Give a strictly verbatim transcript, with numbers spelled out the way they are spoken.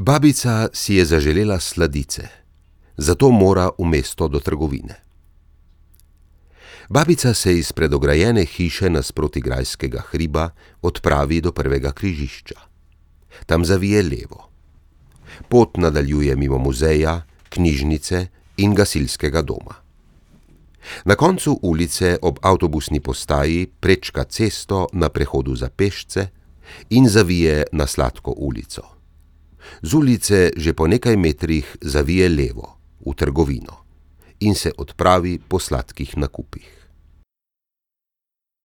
Babica si je zaželela sladice, zato mora v mesto do trgovine. Babica se iz predograjene hiše nasproti grajskega hriba odpravi do prvega križišča. Tam zavije levo. Pot nadaljuje mimo muzeja, knjižnice in gasilskega doma. Na koncu ulice ob avtobusni postaji prečka cesto na prehodu za pešce in zavije na Sladko ulico. Z ulice že po nekaj metrih zavije levo, v trgovino, in se odpravi po sladkih nakupih.